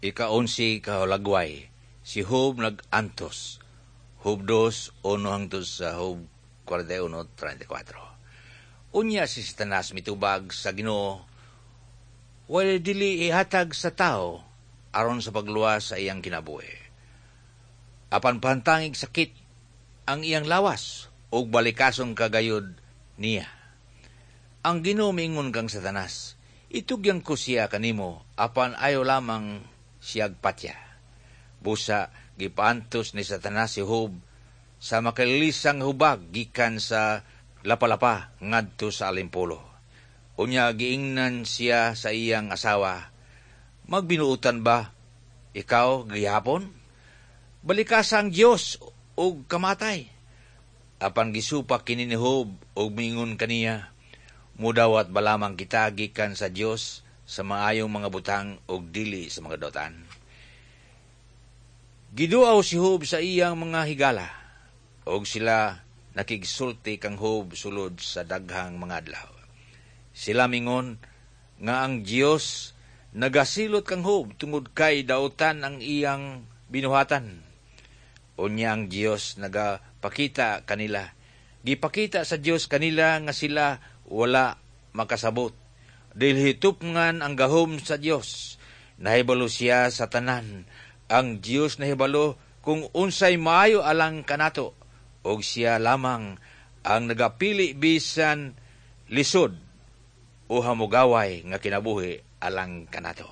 Ika-11 ka hulagway, si Job nag-antos. Job 2:1 hangtod sa Job 41:34. Unya si Satanas mitubag sa Ginoo, "Walay dili ihatag sa tao aron sa pagluwas sa iyang kinabuhi. Apan pahantangig sakit ang iyang lawas ug balikason kagayod niya." Ang Ginoo miingon kang Satanas, "Itugyan ko siya kanimo, apan ayo lamang siyag patya." Busa gipaantos ni Satanas si Job sa makalilisang hubag gikan sa lapalapa ngadto sa alimpulo. Unya giingnan siya sa iyang asawa, "Magbinuotan ba ikaw gihapon? Balikasa ang Dios ug kamatay." Apan gisupak kini ni Job ug miingon kaniya, "Mudawat ba lamang kita gikan sa Dios sa maayong mga butang ug dili sa mga dautan?" Giduaw si Job sa iyang mga higala, ug sila nakigsulti kang Job sulod sa daghang mga adlaw. Sila mingon nga ang Dios nagasilot kang Job tungod kay dautan ang iyang binuhatan. Unya ang Dios nagapakita kanila. Gipakita sa Dios kanila nga sila wala makasabot. Dili tupngan ang gahom sa Dios. Nahibalo siya sa tanan. Ang Dios nahibalo kung unsay maayo alang kanato, ug siya lamang ang nagapili bisan lisod o hamugaway nga kinabuhi alang kanato.